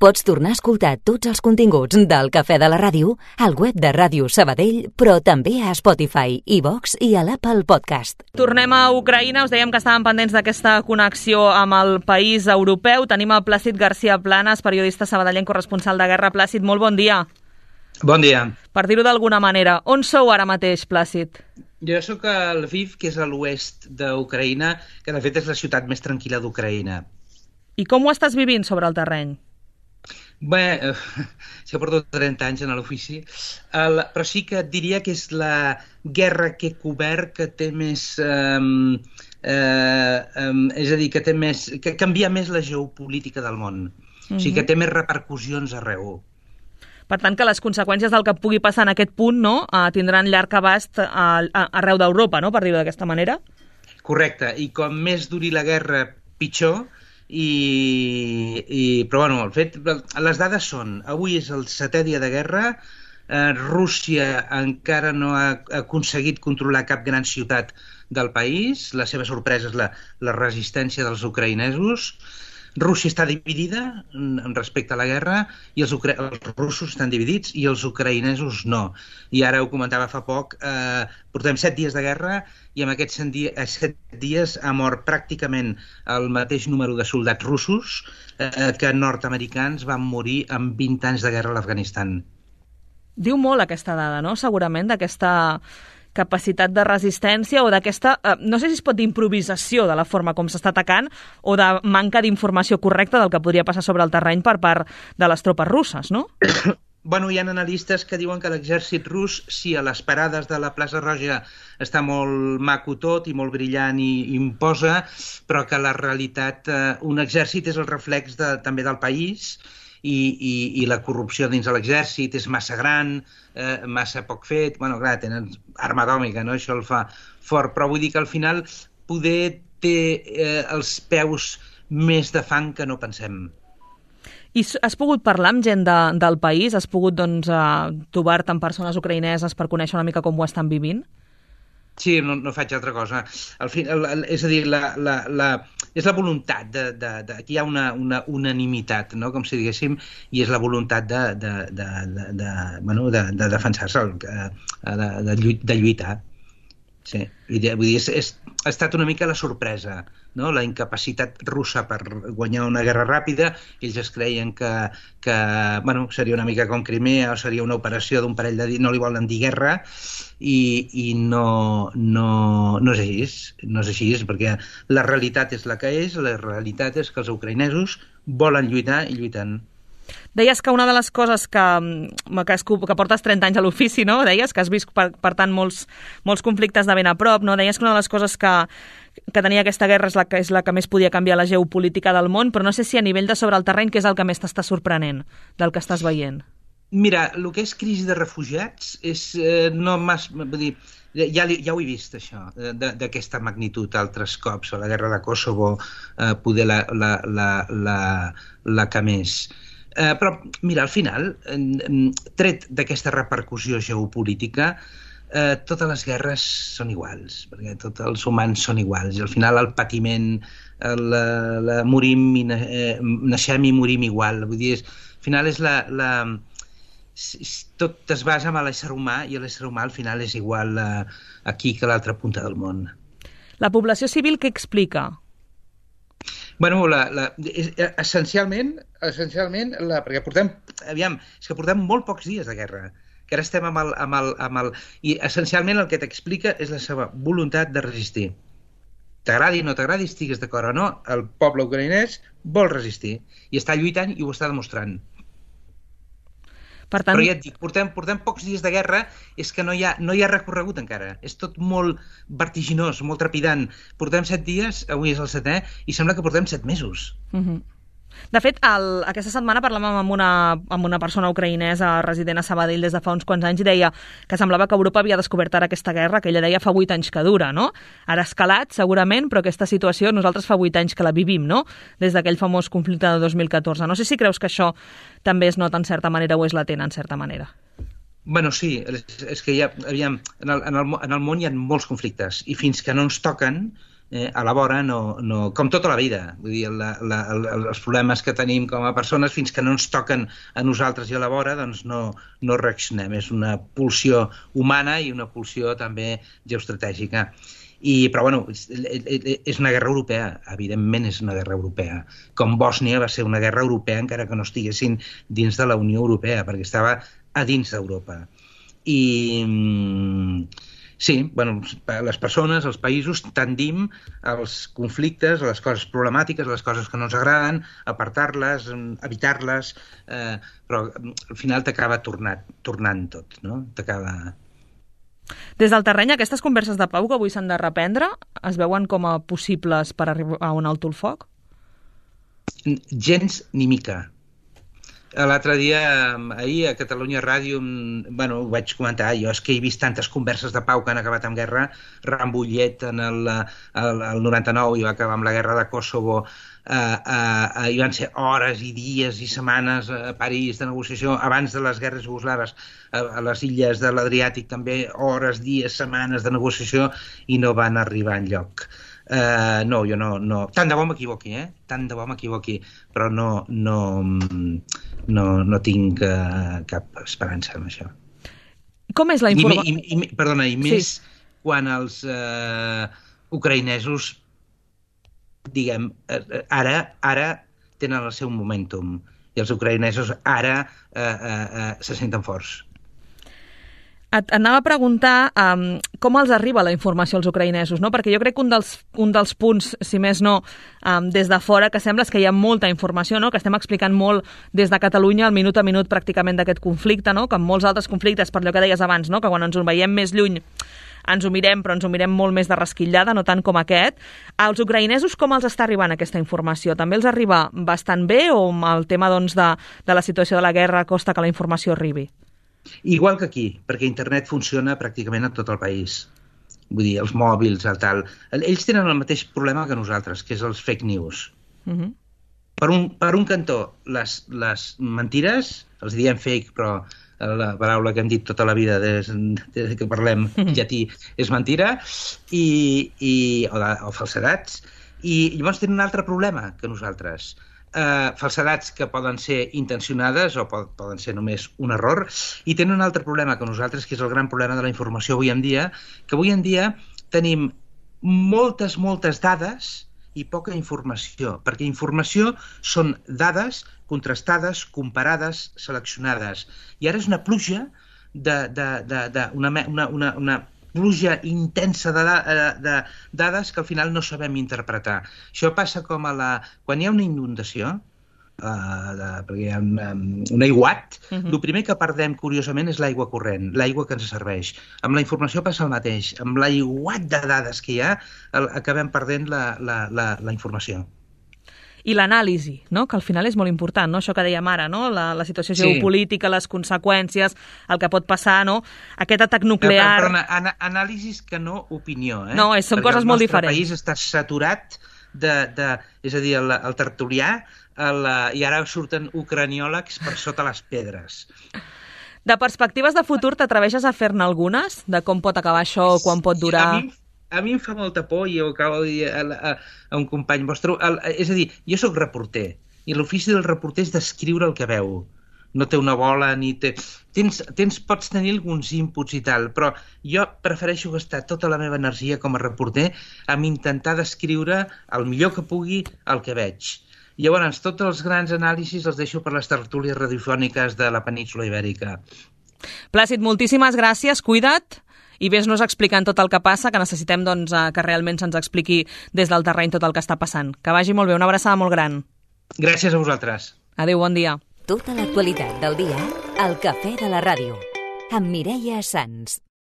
Pots tornar a escoltar tots els continguts del Cafè de la Ràdio al web de Ràdio Sabadell, però també a Spotify, iVox i a l'Apple Podcast. Tornem a Ucraïna. Us dèiem que estàvem pendents d'aquesta connexió amb el país europeu. Tenim el Plàcid García Planas, periodista sabadellenc, corresponsal de guerra. Plàcid, molt bon dia. Bon dia. Per dir-ho d'alguna manera, on sou ara mateix, Plàcid? Jo sóc a Lviv, que és a l'oest d'Ucraïna, que de fet és la ciutat més tranquil·la d'Ucraïna. I com ho estàs vivint sobre el terreny? Bé, jo porto 30 anys en l'ofici, però sí que et diria que és la guerra que he cobert que té més... és a dir, que canvia més la geopolítica del món. O sigui, que té més repercussions arreu. Per tant, que les conseqüències del que pugui passar en aquest punt, no, tindran llarg abast arreu d'Europa, no?, per dir-ho d'aquesta manera? Correcte, i com més duri la guerra, pitjor. Però bueno, les dades són: avui és el 7è dia de guerra, Rússia encara no ha aconseguit controlar cap gran ciutat del país, la seva sorpresa és la resistència dels ucraïnesos. Rússia està dividida respecte a la guerra i els russos estan dividits i els ucraïnesos no. I ara ho comentava fa poc, portem 7 dies de guerra i en aquests 7 dies ha mort pràcticament el mateix número de soldats russos que nord-americans van morir en 20 anys de guerra a l'Afganistan. Diu molt aquesta dada, no?, segurament, d'aquesta capacitat de resistència o d'aquesta, no sé si es pot dir improvisació de la forma com s'està atacant o de manca d'informació correcta del que podria passar sobre el terreny per part de les tropes russes, no? Bueno, hi ha analistes que diuen que l'exèrcit rus, sí, a les parades de la plaça Roja està molt maco tot i molt brillant i imposa, però que la realitat, un exèrcit és el reflex també del país i la corrupció dins de l'exèrcit és massa gran, massa poc fet. Bueno, clar, tenen arma atòmica, no? Això el fa fort, però vull dir que al final poder té els peus més de fang que no pensem. I has pogut parlar amb gent del país? Has pogut, doncs, trobar-te amb persones ucraïneses per conèixer una mica com ho estan vivint? Sí, no faig altra cosa. És a dir, és la voluntat aquí hi ha una unanimitat, no?, com si diguéssim, i és la voluntat de defensar-se, de lluitar. Sí, vull dir, ha estat una mica la sorpresa, no?, la incapacitat russa per guanyar una guerra ràpida. Ells es creien que seria una mica com Crimea o seria una operació d'un parell de dies, no li volen dir guerra, i no és així, no és així, perquè la realitat és la que és, la realitat és que els ucraïnesos volen lluitar i lluiten. Deies que una de les coses que portes 30 anys a l'ofici, no? Deies que has vist, per tant, molts conflictes de ben a prop, no? Deies que una de les coses que tenia aquesta guerra és la que més podia canviar la geopolítica del món, però no sé si a nivell de sobre el terreny, què és el que més t'està sorprenent del que estàs veient? Mira, el que és crisi de refugiats és no massa... Vull dir, ja ho he vist, això, d'aquesta magnitud altres cops, a la guerra de Kosovo, poder la que més. Però, mira, al final, tret d'aquesta repercussió geopolítica, totes les guerres són iguals, perquè tots els humans són iguals, i al final el patiment, morim i naixem i morim igual. Vull dir, al final és tot es basa en l'ésser humà, i l'ésser humà al final és igual aquí que a l'altra punta del món. La població civil què explica? Bueno, essencialment, perquè portem molt pocs dies de guerra, que ara estem i essencialment el que t'explica és la seva voluntat de resistir. T'agradi o no t'agradi, estigues d'acord o no, el poble ucraïnès vol resistir i està lluitant i ho està demostrant. Per tant... Però ja et dic, portem pocs dies de guerra, és que no hi ha recorregut encara. És tot molt vertiginós, molt trepidant. Portem 7 dies, avui és el 7è, i sembla que portem 7 mesos. De fet, aquesta setmana parlàvem amb una persona ucraïnesa resident a Sabadell des de fa uns quants anys i deia que semblava que Europa havia descobert ara aquesta guerra, que ella deia fa 8 anys que dura, no? Ara ha escalat, segurament, però aquesta situació nosaltres fa 8 anys que la vivim, no? Des d'aquell famós conflicte de 2014. No sé si creus que això també es nota en certa manera o és latent en certa manera. Bueno, sí, és que en el món hi ha molts conflictes i fins que no ens toquen a la vora, com tota la vida. Vull dir, els problemes que tenim com a persones, fins que no ens toquen a nosaltres i a la vora, doncs no reaccionem. És una pulsió humana i una pulsió també geoestratègica. Però, bueno, és una guerra europea, evidentment és una guerra europea. Com Bòsnia va ser una guerra europea, encara que no estiguessin dins de la Unió Europea, perquè estava a dins d'Europa. I sí, bueno, les persones, els països, tendim als conflictes, a les coses problemàtiques, a les coses que no ens agraden, apartar-les, evitar-les, però al final t'acaba tornant tot, no? T'acaba... Des del terreny, aquestes converses de pau que avui s'han de reprendre es veuen com a possibles per arribar a un alto el foc? Gens ni mica. L'altre dia, ahir, a Catalunya Ràdio, bueno, ho vaig comentar, jo és que he vist tantes converses de pau que han acabat amb guerra. Rambullet en el 99 i va acabar amb la guerra de Kosovo, hi van ser hores i dies i setmanes a París de negociació, abans de les guerres jugoslaves, a les illes de l'Adriàtic també, hores, dies, setmanes de negociació, i no van arribar enlloc. No, jo no. Tant de bo m'equivoqui, tant de bo m'equivoqui, però no tinc cap esperança en això. Com és la informació? Perdona, i més quan els ucraïnesos, diguem, ara tenen el seu momentum, i els ucraïnesos ara se senten forts. Et anava a preguntar com els arriba la informació als ucraïnesos, no? Perquè jo crec que un dels punts, si més no, des de fora, que sembla és que hi ha molta informació, no? Que estem explicant molt des de Catalunya, al minut a minut pràcticament d'aquest conflicte, no? Que en molts altres conflictes, per allò que deies abans, no? Que quan ens ho veiem més lluny ens ho mirem, però ens ho mirem molt més de resquitllada, no tant com aquest. Als ucraïnesos com els està arribant aquesta informació? També els arriba bastant bé o el tema doncs, de la situació de la guerra costa que la informació arribi? Igual que aquí, perquè internet funciona pràcticament a tot el país. Vull dir, els mòbils, el tal... Ells tenen el mateix problema que nosaltres, que és els fake news. Per un cantó, les mentires, els diem fake, però la paraula que hem dit tota la vida des que parlem llatí és mentira, o falsedats, i llavors tenen un altre problema que nosaltres. Falsedats que poden ser intencionades o poden ser només un error, i tenen un altre problema que nosaltres, que és el gran problema de la informació avui en dia, que avui en dia tenim moltes dades i poca informació, perquè informació són dades contrastades, comparades, seleccionades, i ara és una pluja una pluja intensa de dades que al final no sabem interpretar. Això passa com quan hi ha una inundació, perquè hi ha un aiguat, el primer que perdem, curiosament, és l'aigua corrent, l'aigua que ens serveix. Amb la informació passa el mateix. Amb l'aiguat de dades que hi ha, acabem perdent la informació. I l'anàlisi, no? Que al final és molt important, no? Això que dèiem ara, no? La situació geopolítica, les conseqüències, el que pot passar, no? Aquest atac nuclear... Però anàlisis que no opinió, No, són coses molt diferents. El nostre país està saturat és a dir, el tertulià, i ara surten ucraniòlegs per sota les pedres. De perspectives de futur, t'atreveixes a fer-ne algunes? De com pot acabar això, quan pot durar... A mi em fa molta por, i ho acabo de dir a un company vostre. És a dir, jo sóc reporter, i l'ofici del reporter és descriure el que veu. No té una bola, ni té... Pots tenir alguns inputs i tal, però jo prefereixo gastar tota la meva energia com a reporter en intentar descriure el millor que pugui el que veig. Llavors, tots els grans anàlisis els deixo per les tertúlies radiofòniques de la península Ibèrica. Plàcid, moltíssimes gràcies, cuida't, i ves-nos explicant tot el que passa, que necessitem que realment se'ns expliqui des del terreny tot el que està passant. Que vagi molt bé, una abraçada molt gran. Gràcies a vosaltres. Adéu, bon dia. Tota l'actualitat del dia al Cafè de la Ràdio, amb Mireia Sans.